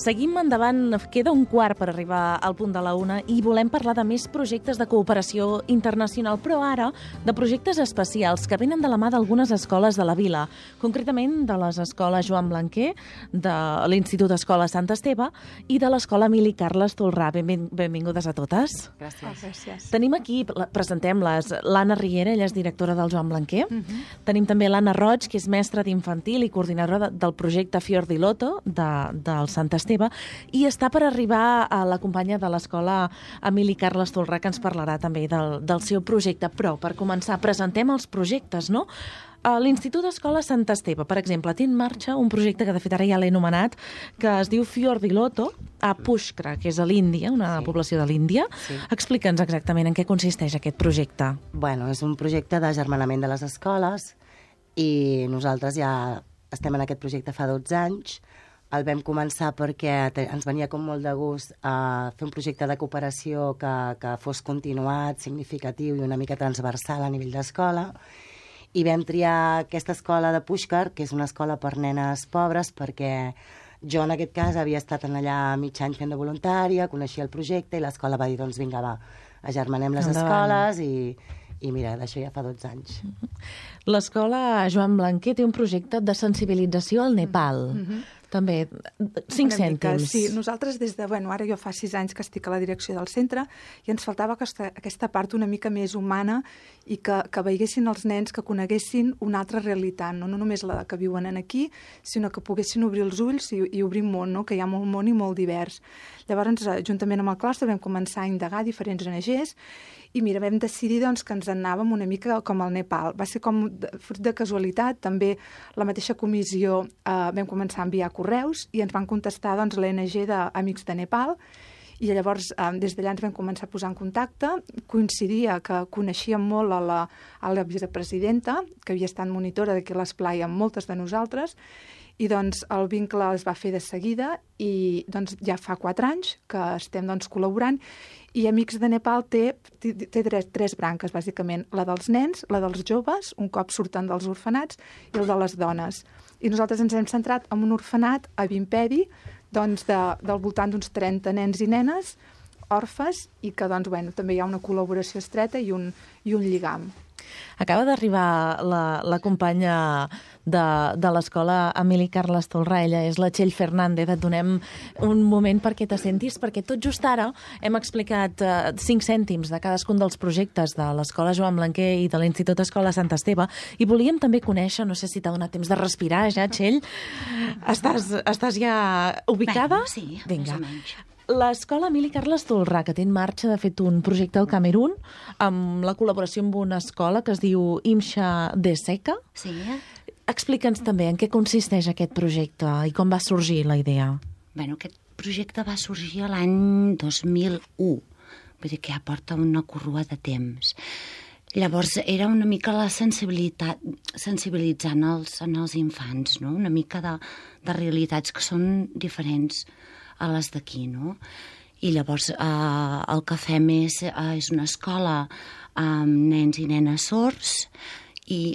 Seguim endavant, queda un quart per arribar al punt de la una i volem parlar de més projectes de cooperació internacional, però ara de projectes especials que venen de la mà d'algunes escoles de la vila, concretament de les escoles Joan Blanquer, de l'Institut Escola Sant Esteve i de l'Escola Emili Carles Tolrà. Benvingudes a totes. Gràcies. Tenim aquí, presentem-les, l'Anna Riera, ella és directora del Joan Blanquer. Tenim també l'Anna Roig, que és mestra d'infantil i coordinadora del projecte Fior di Loto del Sant Esteve, i està per arribar a la companya de l'escola Emili Carles Tolrà, que ens parlarà també del seu projecte. Però, per començar, presentem els projectes, no? L'Institut Escola Sant Esteve, per exemple, té en marxa un projecte que de fet ara ja l'he anomenat, que es diu Fior di Loto a Pushkar, que és a l'Índia, una població de l'Índia. Sí. Explica'ns exactament en què consisteix aquest projecte. Bueno, és un projecte d'agermanament de les escoles i nosaltres ja estem en aquest projecte fa 12 anys. El vam començar perquè ens venia com molt de gust fer un projecte de cooperació que fos continuat, significatiu i una mica transversal a nivell d'escola. I vam triar aquesta escola de Pushkar, que és una escola per nenes pobres, perquè jo en aquest cas havia estat allà mig any fent de voluntària, coneixia el projecte i l'escola va dir, doncs vinga, va, agermanem les escoles i mira, d'això ja fa 12 anys. L'escola Joan Blanquer té un projecte de sensibilització al Nepal. També, 5 cèntims. Sí, nosaltres ara jo fa 6 anys que estic a la direcció del centre i ens faltava aquesta part una mica més humana i que veiessin els nens, que coneguessin una altra realitat, no només la que viuen aquí, sinó que poguessin obrir els ulls i obrir un món, no? Que hi ha molt món i molt divers. Llavors, juntament amb el claustre, vam començar a indagar diferents ONGs i mira, vam decidir doncs, que ens anàvem una mica com al Nepal. Va ser com fruit de casualitat, també la mateixa comissió vam començar a enviar correus i ens van contestar doncs, l'ONG d'Amics de Nepal i llavors des d'allà ens vam començar a posar en contacte. Coincidia que coneixíem molt a la vicepresidenta, que havia estat monitora d'aquí a l'Esplai amb moltes de nosaltres, i doncs el vincle es va fer de seguida i doncs, ja fa 4 anys que estem doncs, col·laborant i Amics de Nepal té 3 branques, bàsicament, la dels nens, la dels joves, un cop surten dels orfenats, i el de les dones. I nosaltres ens hem centrat en un orfenat a Vimpedi, doncs, del voltant d'uns 30 nens i nenes, orfes, i que doncs, també hi ha una col·laboració estreta i un lligam. Acaba d'arribar la companya de l'escola Emili Carles Tolrà, ella és la Txell Fernández. Et donem un moment perquè t'assentis, perquè tot just ara hem explicat 5 cèntims de cadascun dels projectes de l'escola Joan Blanquer i de l'Institut Escola Sant Esteve, i volíem també conèixer, no sé si t'ha donat temps de respirar ja, Txell. Estàs ja ubicada? Bé, sí, vinga. Més o menys. L'escola Emili Carles Tolrà, que té en marxa, de fet, un projecte al Camerún, amb la col·laboració amb una escola que es diu Imxa de Seca. Sí. Explica'ns també en què consisteix aquest projecte i com va sorgir la idea. Bueno, aquest projecte va sorgir l'any 2001, vull dir que ja porta una corrua de temps. Llavors, era una mica la sensibilitzant els infants, no? Una mica de realitats que són diferents a les d'aquí, no? I llavors el que fem és una escola amb nens i nenes sords i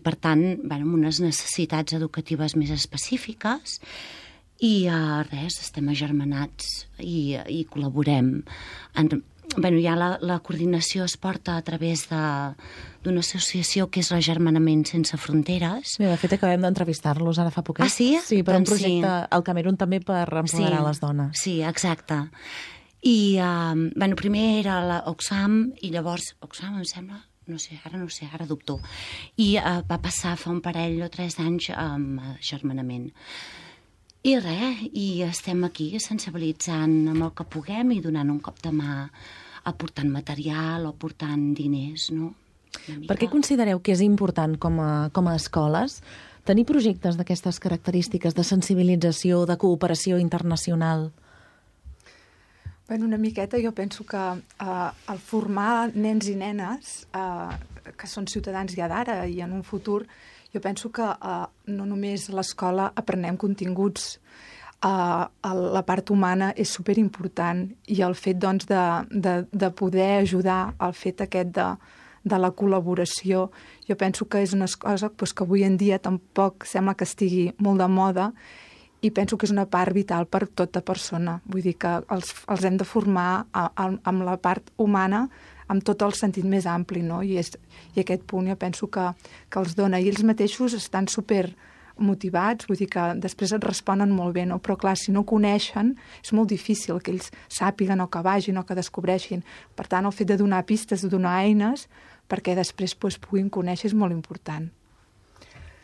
per tant, amb unes necessitats educatives més específiques i estem agermanats i col·laborem. Ja la coordinació es porta a través d'una associació que és l'Agermanament Sense Fronteres. De fet, acabem d'entrevistar-los ara fa poquet. Ah, sí? Sí, per un projecte al Camerún també per empoderar les dones. Sí, exacte. I primer era l'Oxfam i llavors, Oxfam em sembla, no sé, ara dubto. I va passar fa un parell o 3 anys amb agermanament. I estem aquí sensibilitzant amb el que puguem i donant un cop de mà, aportant material o aportant diners, no? Per què considereu que és important com a escoles tenir projectes d'aquestes característiques de sensibilització, de cooperació internacional? Una miqueta jo penso que el formar nens i nenes que són ciutadans ja d'ara i en un futur, jo penso que no només a l'escola aprenem continguts, la part humana és superimportant i el fet doncs, de poder ajudar al fet aquest de la col·laboració, jo penso que és una cosa que avui en dia tampoc sembla que estigui molt de moda i penso que és una part vital per tota persona. Vull dir que els hem de formar amb la part humana, amb tot el sentit més ampli, no? I aquest punt jo penso que els dona. I ells mateixos estan super motivats, vull dir que després et responen molt bé, no? Però clar, si no coneixen, és molt difícil que ells sàpiguen o que vagin o que descobreixin. Per tant, el fet de donar pistes, de donar eines, perquè després puguin conèixer és molt important.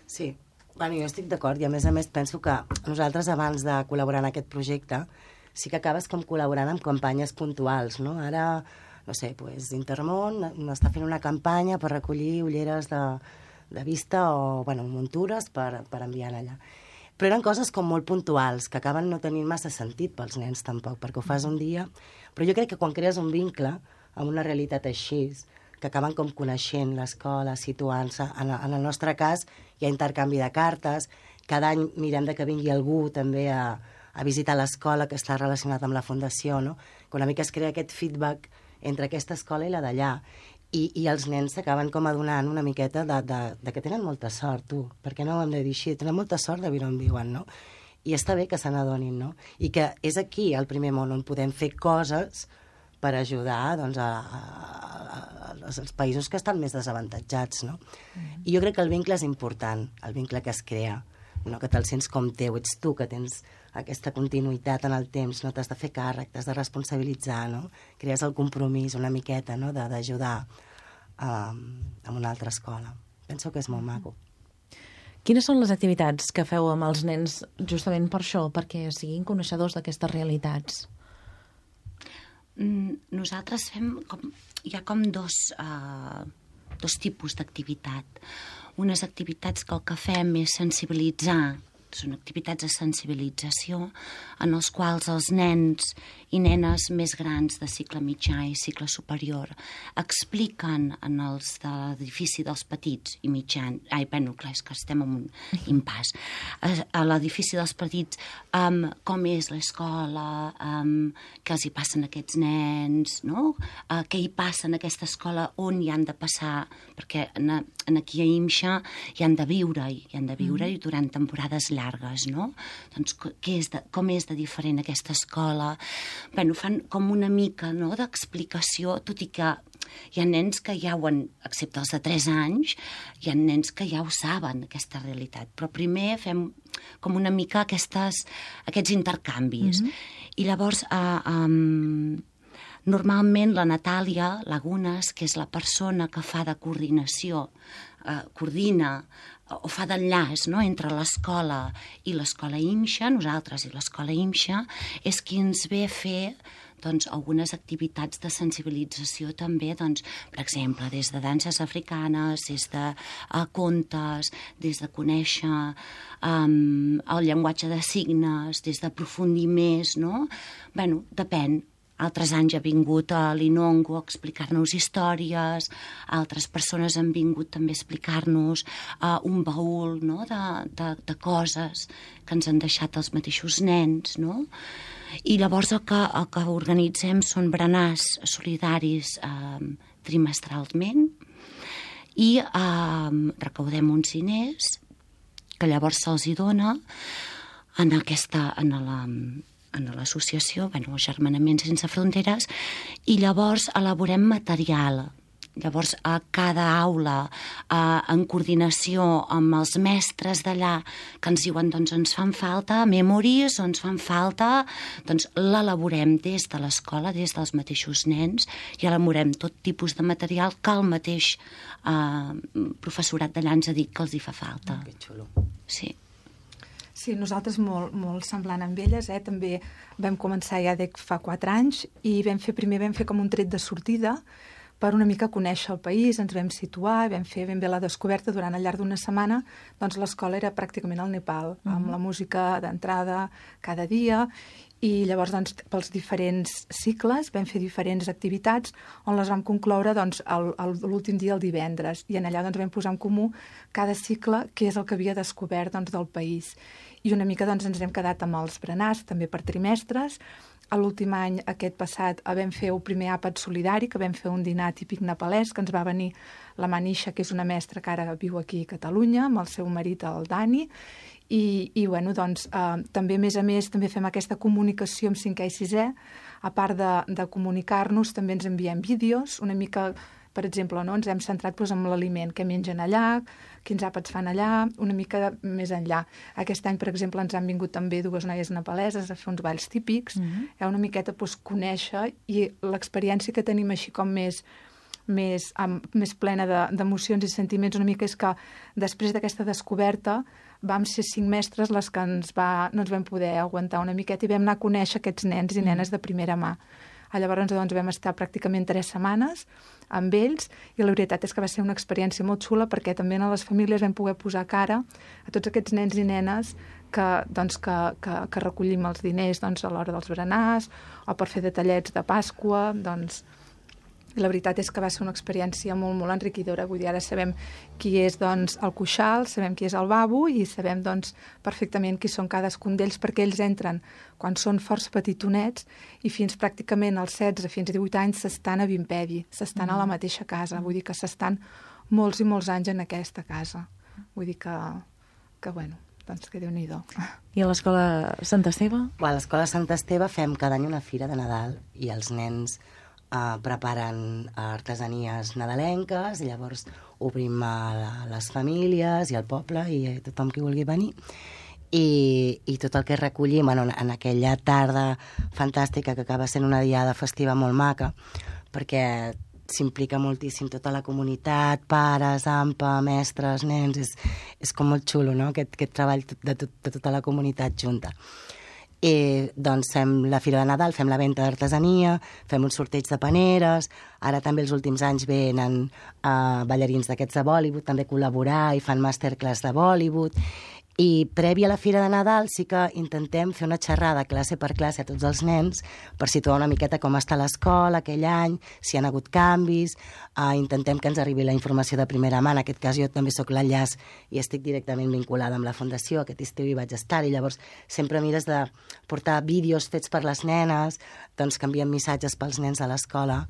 Sí, bueno, jo estic d'acord i a més penso que nosaltres abans de col·laborar en aquest projecte sí que acabes com col·laborant amb campanyes puntuals, no? Ara, no sé, pues, Intermón està fent una campanya per recollir ulleres de vista o, bueno, muntures per enviar allà. Però eren coses com molt puntuals, que acaben no tenint massa sentit pels nens tampoc, perquè ho fas un dia. Però jo crec que quan crees un vincle amb una realitat així, que acaben com coneixent l'escola, situant-se. En el nostre cas hi ha intercanvi de cartes, cada any mirem que vingui algú també a visitar l'escola que està relacionat amb la fundació, no? Que una mica es crea aquest feedback entre aquesta escola i la d'allà. I els nens s'acaben com adonant una miqueta de que tenen molta sort, tu. Per què no ho hem de dir així? Tenen molta sort de viure on viuen, no? I està bé que se n'adonin, no? I que és aquí, al primer món, on podem fer coses per ajudar doncs, als països que estan més desavantatjats, no? I jo crec que el vincle és important, el vincle que es crea, no? Que te'l sents com teu, ets tu que tens aquesta continuïtat en el temps, no? T'has de fer càrrec, t'has de responsabilitzar, no? Crees el compromís una miqueta, no? D'ajudar a una altra escola. Penso que és molt maco. Quines són les activitats que feu amb els nens justament per això, perquè siguin coneixedors d'aquestes realitats? Nosaltres fem hi ha com dos tipus d'activitat. Unes activitats que el que fem és sensibilitzar, són activitats de sensibilització en els quals els nens i nenes més grans de cicle mitjà i cicle superior expliquen en els de l'edifici dels petits i mitjans, clar, és que estem en un impàs, a l'edifici dels petits com és l'escola, què els hi passen a aquests nens, no? Què hi passa en aquesta escola, on hi han de passar, perquè aquí a IMSA hi han de viure i durant temporades llargues, no? Doncs com és de diferent aquesta escola? Bé, fan com una mica d'explicació, tot i que hi ha nens que ja ho han, excepte els de 3 anys, hi ha nens que ja ho saben, aquesta realitat. Però primer fem com una mica aquests intercanvis. I llavors, normalment la Natàlia Lagunes, que és la persona que fa de coordinació, coordina o fa d'enllaç entre l'escola i l'escola IMSA, nosaltres i l'escola IMSA, és qui ens ve a fer algunes activitats de sensibilització també, per exemple, des de danses africanes, des de contes, des de conèixer el llenguatge de signes, des d'aprofundir més, no? Bé, depèn. Altres anys ha vingut a l'Inongo a explicar-nos històries, altres persones han vingut també a explicar-nos un baúl de coses que ens han deixat els mateixos nens, no? I llavors el que organitzem són berenars solidaris trimestralment i recaudem uns diners que llavors se'ls hi dona en l'associació, Agermanament Sense Fronteres, i llavors elaborem material. Llavors, a cada aula, en coordinació amb els mestres d'allà, que ens diuen, ens fan falta memories, ens fan falta, l'elaborem des de l'escola, des dels mateixos nens, i elaborem tot tipus de material que el mateix professorat d'allà ens ha dit que els hi fa falta. Que xulo. Sí. Sí, nosaltres molt semblant amb elles, també vam començar ja fa 4 anys i primer vam fer com un tret de sortida per una mica conèixer el país, ens vam situar, vam fer ben bé la descoberta durant al llarg d'una setmana, doncs l'escola era pràcticament al Nepal, amb la música d'entrada cada dia, i llavors pels diferents cicles vam fer diferents activitats on les vam concloure l'últim dia, el divendres, i allà vam posar en comú cada cicle què és el que havia descobert del país. I una mica ens hem quedat amb els berenars, també per trimestres. L'últim any, aquest passat, vam fer el primer àpat solidari, que vam fer un dinar típic nepalès, que ens va venir la Manisha, que és una mestra que ara viu aquí a Catalunya, amb el seu marit, el Dani, I bueno, doncs, també, a més, també fem aquesta comunicació amb 5è i 6è. A part de comunicar-nos, també ens enviem vídeos, una mica, per exemple, no? Ens hem centrat en l'aliment, què mengen allà, quins àpats fan allà, una mica més enllà. Aquest any, per exemple, ens han vingut també 2 noies nepaleses a fer uns balls típics, una miqueta conèixer, i l'experiència que tenim així com més plena d'emocions i sentiments una mica és que després d'aquesta descoberta vam ser 5 mestres les que no ens vam poder aguantar una miqueta i vam anar a conèixer aquests nens i nenes de primera mà. Llavors doncs, vam estar pràcticament 3 setmanes amb ells i la veritat és que va ser una experiència molt xula perquè també a les famílies vam poder posar cara a tots aquests nens i nenes que recollim els diners a l'hora dels berenars o per fer detallets de Pasqua, i la veritat és que va ser una experiència molt, molt enriquidora. Vull dir, ara sabem qui és el Cuixal, sabem qui és el Babu i sabem perfectament qui són cadascun d'ells perquè ells entren quan són força petitonets i fins pràcticament als 16 fins a 18 anys s'estan a Vimpedi, s'estan a la mateixa casa. Vull dir que s'estan molts i molts anys en aquesta casa. Vull dir que bueno, que Déu-n'hi-do. I a l'escola Sant Esteve? A l'escola Sant Esteve fem cada any una fira de Nadal i els nens preparen artesanies nadalenques i llavors obrim a les famílies i al poble i a tothom qui vulgui venir i tot el que recollim en aquella tarda fantàstica que acaba sent una diada festiva molt maca perquè s'implica moltíssim tota la comunitat, pares, AMPA, mestres, nens, és com molt xulo, no?, aquest treball de tota la comunitat junta. I doncs fem la Fira de Nadal, fem la venda d'artesania, fem un sorteig de paneres, ara també els últims anys venen ballarins d'aquests de Bollywood també a col·laborar i fan masterclass de Bollywood. I prèvia a la Fira de Nadal sí que intentem fer una xerrada classe per classe a tots els nens per situar una miqueta com està l'escola aquell any, si hi ha hagut canvis, intentem que ens arribi la informació de primera mà. En aquest cas jo també sóc l'enllaç i estic directament vinculada amb la Fundació, aquest estiu hi vaig estar i llavors sempre mires de portar vídeos fets per les nenes, doncs que enviem missatges pels nens a l'escola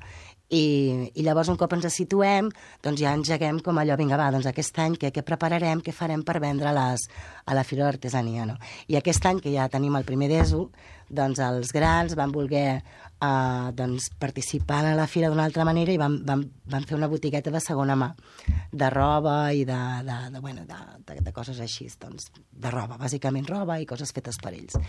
i llavors un cop ens situem doncs ja engeguem com allò, vinga va, doncs aquest any què prepararem, què farem per vendre a la Fira d'Artesania, no? I aquest any que ja tenim el primer d'ESO, doncs els grans van voler participar a la fira d'una altra manera i van fer una botigueta de segona mà de roba i de coses així, doncs, de roba, bàsicament roba i coses fetes per ells.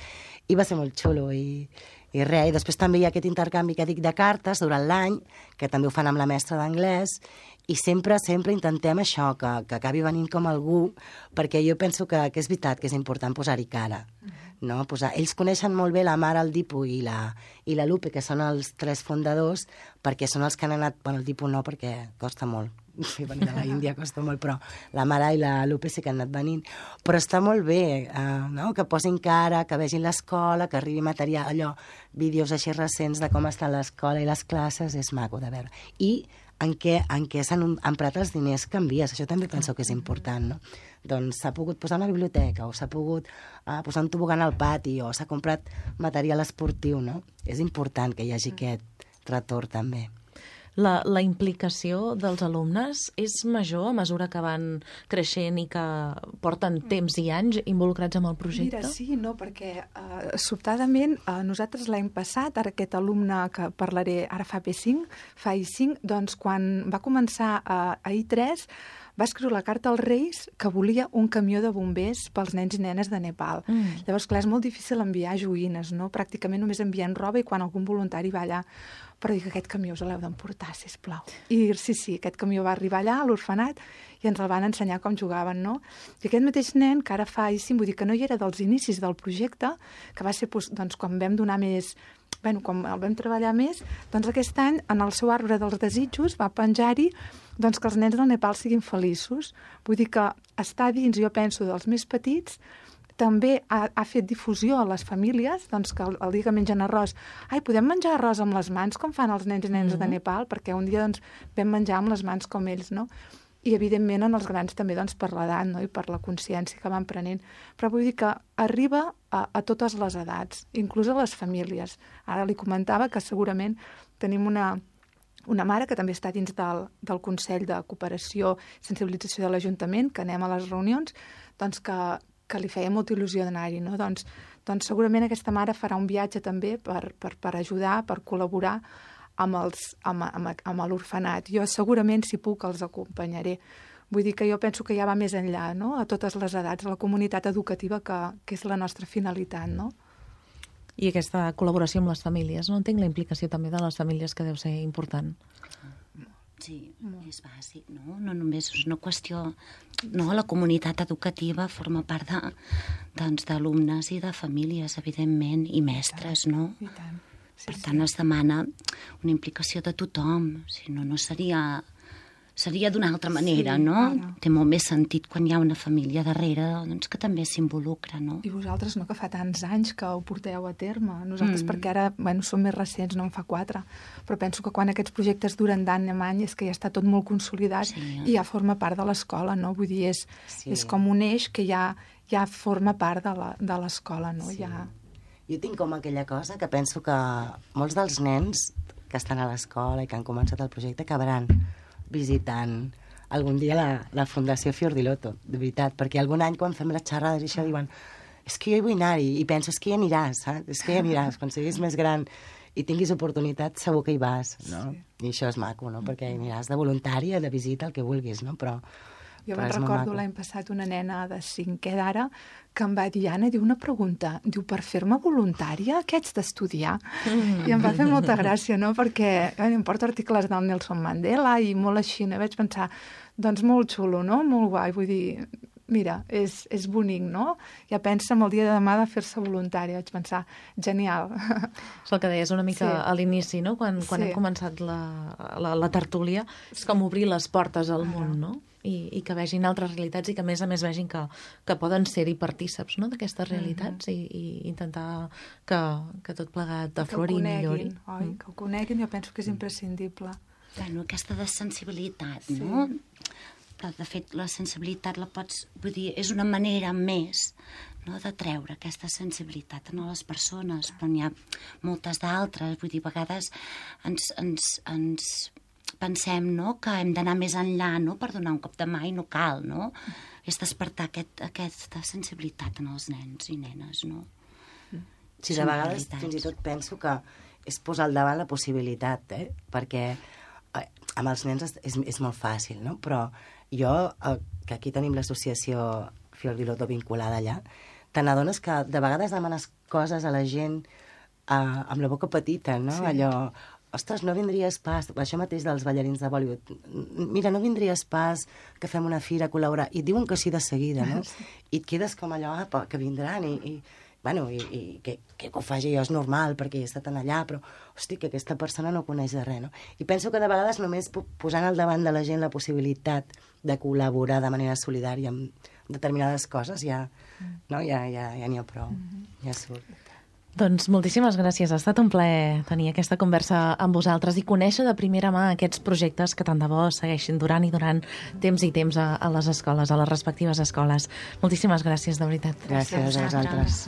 I va ser molt xulo i res, i després també hi ha aquest intercanvi que dic de cartes durant l'any, que també ho fan amb la mestra d'anglès, i sempre intentem això, que acabi venint com algú, perquè jo penso que és veritat que és important posar-hi cara. No? Ells coneixen molt bé la Mare, el Dipu i la Lupe, que són els 3 fundadors, perquè són els que han anat... Bueno, el Dipu no, perquè costa molt. Venir de la Índia costa molt, però la Mare i la Lupe sí que han anat venint. Però està molt bé, no? Que posin cara, que vegin l'escola, que arribi material, allò, vídeos així recents de com està l'escola i les classes, és maco de veure. I en què s'han emprat els diners que envies, això també penso que és important, no? Doncs s'ha pogut posar una biblioteca o s'ha pogut posar un tobogan al pati o s'ha comprat material esportiu, no? És important que hi hagi aquest retorn també. La implicació dels alumnes és major a mesura que van creixent i que porten temps i anys involucrats amb el projecte? Mira, sí, no, perquè sobtadament nosaltres l'any passat, ara aquest alumne que parlaré ara fa I5, doncs quan va començar a I3 va escriure la carta als Reis que volia un camió de bombers pels nens i nenes de Nepal. Llavors, clar, és molt difícil enviar joguines, no? Pràcticament només envien roba i quan algun voluntari va allà. Però dic, aquest camió us l'heu d'emportar, sisplau. I sí, aquest camió va arribar allà, a l'orfenat, i ens el van ensenyar com jugaven, no? I aquest mateix nen, que ara fa I5, vull dir que no hi era dels inicis del projecte, que va ser doncs, quan vam donar més... Bueno, quan el vam treballar més, doncs aquest any, en el seu arbre dels desitjos, va penjar-hi doncs, que els nens del Nepal siguin feliços. Vull dir que està dins, jo penso, dels més petits, també ha fet difusió a les famílies, doncs que el dia que mengen arròs, podem menjar arròs amb les mans, com fan els nens i nenes de Nepal, perquè un dia doncs, vam menjar amb les mans com ells, no? I, evidentment, en els grans també doncs, per l'edat, no? I per la consciència que van prenent. Però vull dir que arriba a totes les edats, inclús a les famílies. Ara li comentava que segurament tenim una mare que també està dins del Consell de Cooperació i Sensibilització de l'Ajuntament, que anem a les reunions, doncs que que li feia molta il·lusió d'anar-hi, no? Doncs segurament aquesta mare farà un viatge també per ajudar, per col·laborar amb l'orfenat. Jo segurament, si puc, els acompanyaré. Vull dir que jo penso que ja va més enllà, no? A totes les edats, a la comunitat educativa, que és la nostra finalitat, no? I aquesta col·laboració amb les famílies, no? Entenc la implicació també de les famílies, que deu ser important. Sí, és bàsic, no? No només és una qüestió... No, la comunitat educativa forma part d'alumnes i de famílies, evidentment, i mestres, no? I tant. Per tant, es demana una implicació de tothom, si no, no seria d'una altra manera, no? Té molt més sentit quan hi ha una família darrere, doncs, que també s'involucra, no? I vosaltres, no?, que fa tants anys que ho porteu a terme. Nosaltres, perquè ara, som més recents, no en fa 4, però penso que quan aquests projectes duren d'any en any és que ja està tot molt consolidat i ja forma part de l'escola, no? Vull dir, és com un eix que ja forma part de l'escola, no? Sí. Jo tinc com aquella cosa que penso que molts dels nens que estan a l'escola i que han començat el projecte acabaran visitant algun dia la Fundació Fior di Loto, de veritat, perquè algun any quan fem les xerrades i això diuen és que jo hi vull anar-hi, i penso, és que hi aniràs, saps? És que hi aniràs, quan siguis més gran i tinguis oportunitat, segur que hi vas, no? Sí. I això és maco, no? Perquè hi aniràs de voluntària, de visita, el que vulguis, no? Però jo me'n recordo l'any passat una nena de 5è d'ara que em va dir, Anna, una pregunta, diu, per fer-me voluntària, què haig d'estudiar? I em va fer molta gràcia, no? Perquè em porto articles del Nelson Mandela i molt així, no? Vaig pensar, doncs molt xulo, no? Molt guai, vull dir, mira, és bonic, no? Ja pensa en el dia de demà de fer-se voluntària. Vaig pensar, genial. És el que deies una mica a l'inici, no? Quan hem començat la tertúlia, és com obrir les portes al món, no? I que vegin altres realitats i que, a més vegin que poden ser-hi partíceps, no?, d'aquestes realitats i intentar que tot plegat aflori i millori. Que ho coneguin, jo penso que és imprescindible. Bueno, aquesta de sensibilitat, no? De fet, la sensibilitat la pots... Vull dir, és una manera més, no?, de treure aquesta sensibilitat a les persones, però n'hi ha moltes d'altres. Vull dir, a vegades ens pensem, no?, que hem d'anar més enllà, no?, per donar un cop de mà i no cal, no? És despertar aquesta sensibilitat en els nens i nenes, no? Sí, de vegades fins i tot penso que és posar al davant la possibilitat, perquè amb els nens és molt fàcil, no? Però jo, que aquí tenim l'associació Fior di Loto vinculada allà, te n'adones que de vegades demanes coses a la gent amb la boca petita, no? Sí. Allò, ostres, no vindries pas, això mateix dels ballarins de Bollywood, mira, no vindries pas que fem una fira a col·laborar, i et diuen que sí de seguida, no? Sí. I et quedes com allò, que vindran, i que ho faci jo és normal, perquè he estat allà, però, hosti, que aquesta persona no coneix de res, no? I penso que de vegades només posant al davant de la gent la possibilitat de col·laborar de manera solidària amb determinades coses, ja n'hi ha prou, ja surt. Doncs moltíssimes gràcies. Ha estat un plaer tenir aquesta conversa amb vosaltres i conèixer de primera mà aquests projectes que tant de bo segueixin durant i durant temps i temps a les escoles, a les respectives escoles. Moltíssimes gràcies, de veritat. Gràcies a vosaltres.